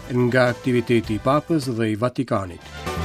Nga aktiviteti i Papës dhe i Vatikanit.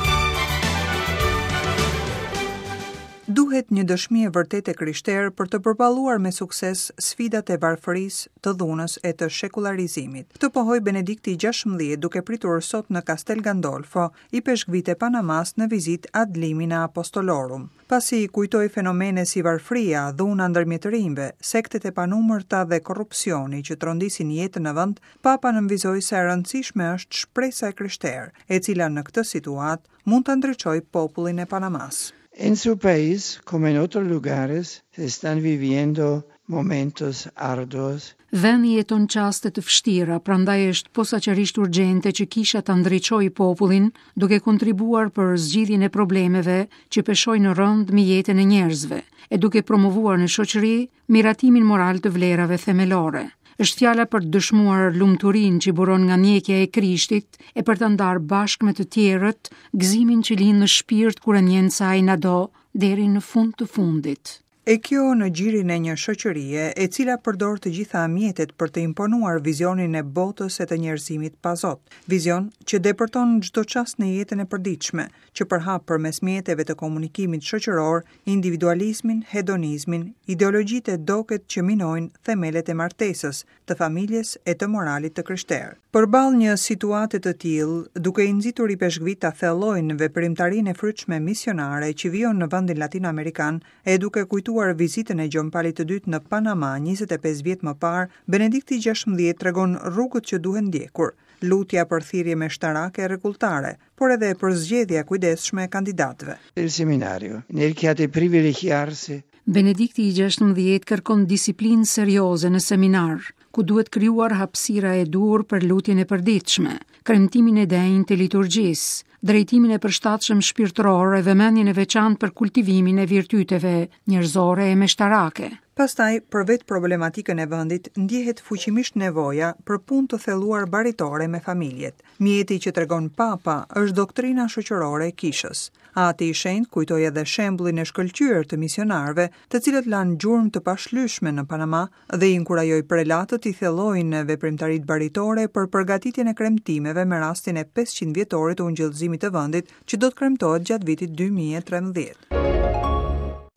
Duhet një dëshmi e vërtetë e krishterë për të përballuar me sukses sfidat e varfërisë, të dhunës e të shekullarizimit. Këtë pohoi Benedikti XVI duke pritur sot në Castel Gandolfo ipeshkvijtë e Panamasë në vizitë ad limina apostolorum. Pasi kujtoi fenomene si varfëria, dhuna ndërmjet të rinjve, sektet e panumërta dhe korrupsioni që trondisin jetën në vend, Papa nënvizoi sa e rëndësishme është shpresa e krishterë, e cila në këtë situatë mund ta ndriçojë popullin e Panamasë. En su país, como en otros lugares, se están viviendo momentos arduos. Vendi jeton çaste të vështira, prandaj është posaçërisht urgjente që kisha ta ndriçojë popullin duke kontribuar për zgjidhjen e problemeve që peshojnë rëndë mbi jetën e njerëzve, e duke promovuar në shoqëri miratimin moral të vlerave themelore. Është fjala për të dëshmuar lumturinë që buron nga ndjekja e Krishtit e për ta ndarë bashkë me të tjerët gëzimin që lind në shpirt kur e ndjen se ai na do deri në fund të fundit. E kjo në gjirin e një shoqërie, e cila përdor të gjitha mjetet për të imponuar vizionin e botës e të njerëzimit pa Zot, vizion që depërton çdo çast në jetën e përditshme, që përhap përmes mjeteve të komunikimit shoqëror individualizmin, hedonizmin, ideologjitë e doket që minojnë themelet e martesës, të familjes e të moralit të krishterë. Përballë një situate të tillë, duke i nxitur ipeshkvijtë ta thellojnë veprimtarinë e frytshme misionare që vijon në vendin latinoamerikan e duke kujtuar vizitën e Gjon Palit të Dytë në Panama 25 vjet më parë, Benedikti XVI tregon rrugët që duhen ndjekur, lutja për thirrje meshtarake e rregulltare, por edhe përzgjedhja e kujdesshme e kandidatëve. El seminario, nel che ha de privilegiarsi Benedikti i XVI kërkon disiplinë serioze në seminar, ku duhet krijuar hapësira e duhur për lutjen e përditshme, kremtimin e denjë të liturgjisë, drejtimin e përshtatshëm shpirtëror e vëmendjen e veçantë për kultivimin e virtyteve njerëzore e meshtarake. Pastaj, për vetë problematikën e vendit, ndjehet fuqimisht nevoja për punë të thelluar baritore me familjet. Mjeti që tregon Papa është doktrina shoqërore e Kishës. Ati i Shenjtë kujtoi edhe shembullin e shkëlqyer të misionarëve, të cilët lanë gjurmë të pashlyeshme në Panama dhe i inkurajoi prelatët t'i thellojnë veprimtaritë baritore për përgatitjen e kremtimeve me rastin e 500 vjetorit të ungjillëzimit të vendit që do të kremtohet gjatë vitit 2013.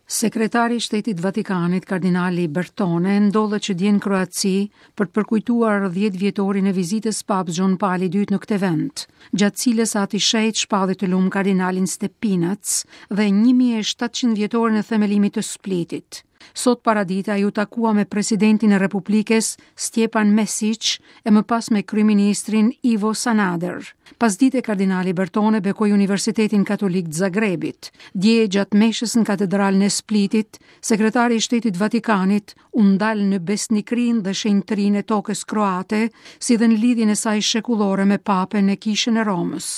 Sekretari i Shtetit të Vatikanit, kardinali Bertone, ndodhet që dje në Kroaci për të përkujtuar 10 vjetorin e vizitës Papës Gjon Pali II në këtë vend, gjatë cilës Ati i Shenjtë shpalli të lum kardinalin Stepinac dhe 1700 vjetorin e themelimit të Splitit. Sot paradite ai u takua me presidentin e Republikës Stjepan Mesic e më pas me kryeministrin Ivo Sanader. Pasdite kardinali Bertone bekoi Universitetin Katolik të Zagrebit. Dje gjatë meshës në katedralen e Splitit, sekretari i Shtetit të Vatikanit u ndal në besnikërinë dhe shenjtërinë e tokës kroate, si dhe në lidhjen e saj shekullore me Papën e Kishën e Romës.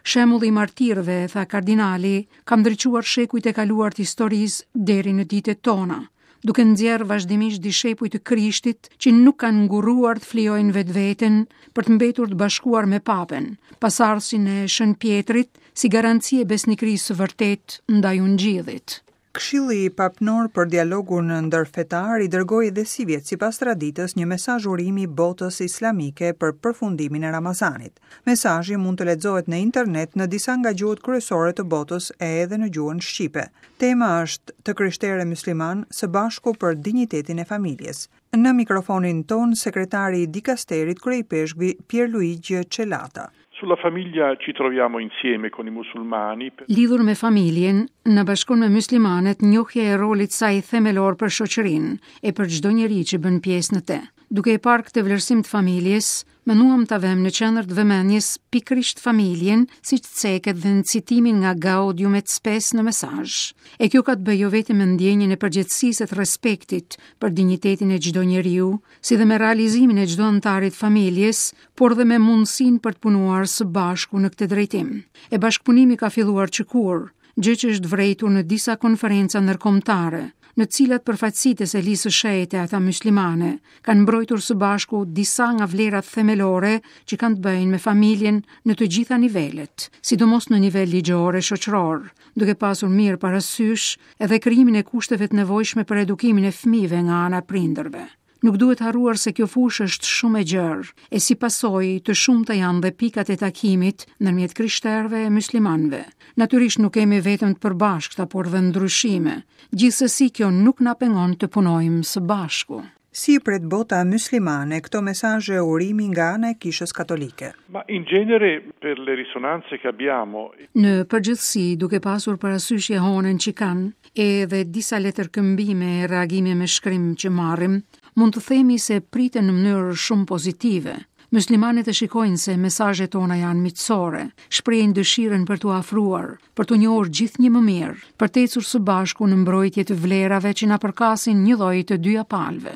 Shembulli i martirëve, tha kardinali, ka ndriçuar shekujt e kaluar të historisë deri në ditët tona, duke nxjerrë vazhdimisht dishepuj të Krishtit që nuk kanë ngurruar të flijojnë vetveten për të mbetur të bashkuar me Papën, pasardhësin e Shën Pjetrit, si garanci e besnikërisë së vërtetë ndaj Ungjillit. Këshilli Papnor për Dialogun Ndërfetar i dërgoi edhe sivjet sipas traditës një mesazh urimi botës islamike për përfundimin e Ramazanit. Mesazhi mund të lexohet në internet në disa nga gjuhët kryesore të botës e edhe në gjuhën shqipe. Tema është të krishterë e myslimanë së bashku për dinjitetin e familjes. Në mikrofonin tonë sekretari i dikasterit kryeipeshkvi Pierluigi Celata. Sulla famiglia ci troviamo insieme con i musulmani. Lidhur me familjen, na bashkon me myslimanët njohja e rolit saj themelor për shoqërinë e për çdo njeri që bën pjesë në të. Duke e parë këtë vlerësim të familjes, menduam ta vëmë në qendër të vëmendjes pikërisht familjen, siç ceket dhe në citimin nga Gaudium et Spes në mesazh. E kjo ka të bëjë jo vetëm me ndjenjën e përgjegjësisë e të respektit për dinjitetin e çdo njeriu, si dhe me realizimin e çdo anëtari të familjes, por dhe me mundësinë për të punuar së bashku në këtë drejtim. E bashkëpunimi ka filluar që kur, gjë që është vërejtur në disa konferenca ndërkombëtare, në të cilat përfaqësitë e Selisë së Shenjtë e ata myslimane kanë mbrojtur së bashku disa nga vlerat themelore që kanë të bëjnë me familjen në të gjitha nivelet, sidomos në nivel ligjor e shoqëror, duke pasur mirë parasysh edhe krijimin e kushteve të nevojshme për edukimin e fëmijëve nga ana e prindërve. Nuk duhet harruar se kjo fushë është shumë e gjerë, e si pasojë të shumta janë dhe pikat e takimit ndërmjet krishterëve e myslimanëve. Natyrisht nuk kemi vetëm të përbashkëta, por dhe ndryshime. Gjithsesi kjo nuk na pengon të punojmë së bashku. Si i pret bota myslimane këto mesazhe urimi nga ana e Kishës Katolike? Ma in genere per le risonanze che abbiamo. Në përgjithësi, duke pasur parasysh jehonën që kanë, edhe disa letërkëmbime e reagime me shkrim që marrim, mund të themi se priten në mënyrë shumë pozitive. Myslimanët e shikojnë se mesazhet tona janë miqësore, shprehin dëshirën për t'u afruar, për t'u njohur gjithnjë më mirë, për të ecur së bashku në mbrojtje të vlerave që na përkasin njëlloj të dyja palëve.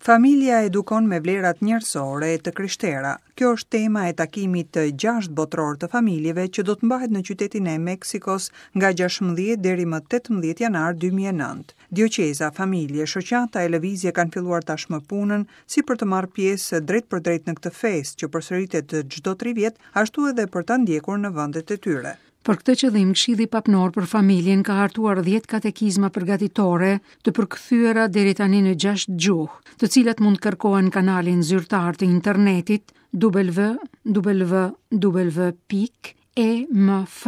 Familja edukon me vlerat njerëzore e të krishtera. Kjo është tema e takimit të gjashtë botëror të familjeve që do të mbahet në qytetin e Meksikos nga 16 deri më 18 janar 2009. Dioqeza, familje, shoqata e lëvizje kanë filluar tashmë punën si për të marrë pjesë drejtpërdrejt në këtë festë që përsëritet çdo tri vjet, ashtu edhe për ta ndjekur në vendet e tyre. Për këtë qëllim, Këshilli Papnor për Familjen ka hartuar 10 katekizma përgatitore të përkthyera deri tani në 6 gjuhë, të cilat mund të kërkohen në kanalin zyrtar të internetit www pikë emf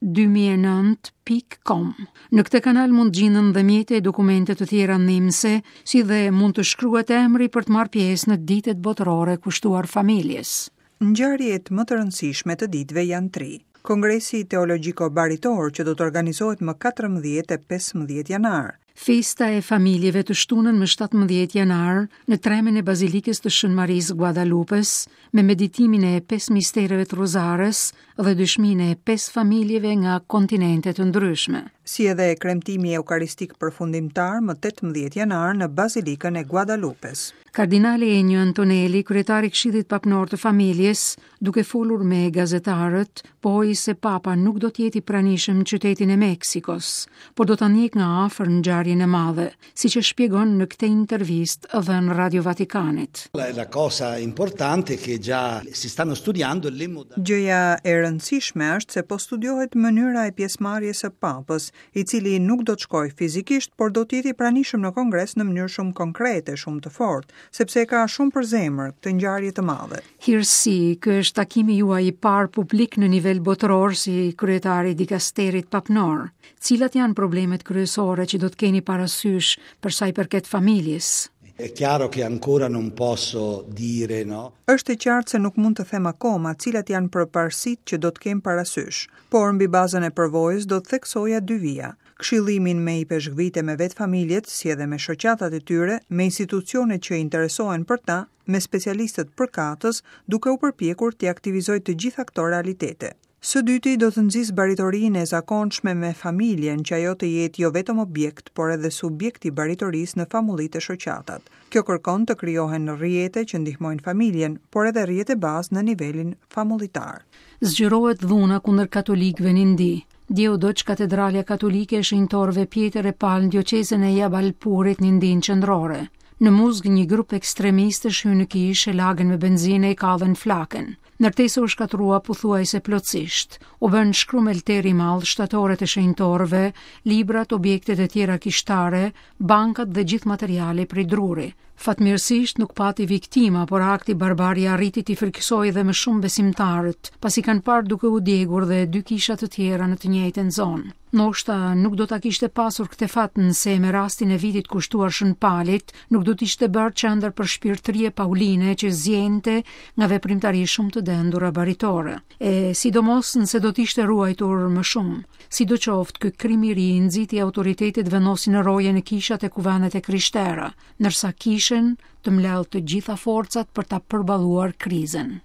2009 pikë com. Në këtë kanal mund të gjinden dhe mjete e dokumente të tjera ndihmëse, si dhe mund të shkruhet emri për të marrë pjesë në ditët botërore kushtuar familjes. Ngjarjet më të rëndësishme të ditëve janë tri. Kongresi Teologjiko-Baritor që do të organizohet më 14 e 15 janar. Festa e familjeve të shtunën më 17 janar në tremen e Bazilikës të Shën Marisë Guadalupes me meditimin e pesë mistereve të Rozares dhe dëshminë e pesë familjeve nga kontinente të ndryshme. Si edhe kremtimi eukaristik përfundimtar më 18 janar në Bazilikën e Guadalupes. Kardinali Ennio Antonelli, kryetar i Këshillit Papnor të Familjes, duke folur me gazetarët, pohoi se Papa nuk do të jetë i pranishëm në qytetin e Meksikos, por do ta ndjekë nga afër ngjarjen e madhe, siç e shpjegon në këtë intervistë dhënë Radio Vatikanit. La cosa importante che già si stanno studiando le modalità. Gjëja e rëndësishme është se po studiohet mënyra e pjesëmarrjes së Papës, i cili nuk do të shkojë fizikisht, por do të jetë i pranishëm në Kongres në mënyrë shumë konkrete, shumë të fortë, sepse e ka shumë për zemër këtë ngjarje të madhe. Hirësi, ky është takimi juaj i parë publik në nivel botëror si kryetar i dikasterit papnor. Cilat janë problemet kryesore që do të keni parasysh për sa i përket familjes? È chiaro che ancora non posso dire, no? Është e qartë se nuk mund të them akoma cilat janë përparësitë që do të kem parasysh, por mbi bazën e përvojës do të theksoja dy vija, këshillimin me ipeshkvijtë e me vetë familjet, si edhe me shoqatat e tyre, me institucionet që interesohen për ta, me specialistët përkatës, duke u përpjekur t'i aktivizoj të gjitha këto realitete. Së dyti, do të nxis baritorinë e zakonshme me familjen, që ajo të jetë jo vetëm objekt, por edhe subjekt i baritorisë në famullitë e shoqatat. Kjo kërkon të krijohen rrjete që ndihmojnë familjen, por edhe rrjete bazë në nivelin famullitar. Zgjerohet dhuna kundër katolikëve në Indi. Dje u dogj katedralja katolike e shenjtorëve Pjetër e Pal në dioqezën e Jabalpurit në Indinë Qendrore. Në muzg një grup ekstremistësh hynë në kishë, e lagën me benzinë e i kallën flakën. Ndërtesa u shkatërrua pothuajse plotësisht. U bënë shkrumel terr i madh shtatoret e shenjtorëve, librat, objektet e tjera kishtare, bankat dhe gjithë materiali prej druri. Fatmirësisht nuk pati viktima, por akti barbar ia arriti t'i frikësojë dhe më shumë besimtarët, pasi kanë parë duke u djegur dhe dy kisha të tjera në të njëjtën zonë. Ndoshta nuk do ta kishte pasur këtë fat nëse me rastin e vitit kushtuar Shën Palit nuk do të ishte bërë qendër përshpirtërie pauline që ziente nga veprimtari shumë të dendura baritore, e sidomos nëse do të ishte ruajtur më shumë. Sidoqoftë, ky krim i ri nxiti autoritetet të vendosin roje në kishat e kuvendet e krishtera, ndërsa kishën të mbledhë të gjitha forcat për ta përballuar krizën.